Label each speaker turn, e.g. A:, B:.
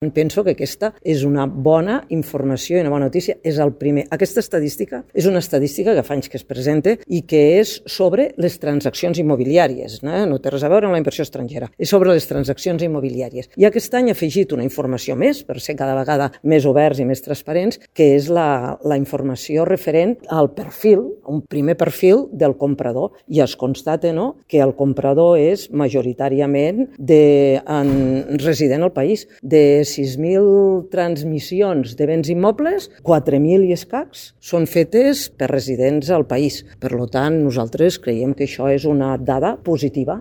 A: Penso que aquesta és una bona informació i una bona notícia. És el primer. Aquesta estadística és una estadística que fa anys que es presenta i que és sobre les transaccions immobiliàries. No té res a veure amb la inversió estrangera. És sobre les transaccions immobiliàries. I aquest any ha afegit una informació més, per ser cada vegada més oberts i més transparents, que és la informació referent al perfil, un primer perfil del comprador. I es constata que el comprador és majoritàriament resident al país. De 6.000 transmissions de béns immobles, 4.000 i escacs són fetes per residents al país. Per tant, nosaltres creiem que això és una dada positiva.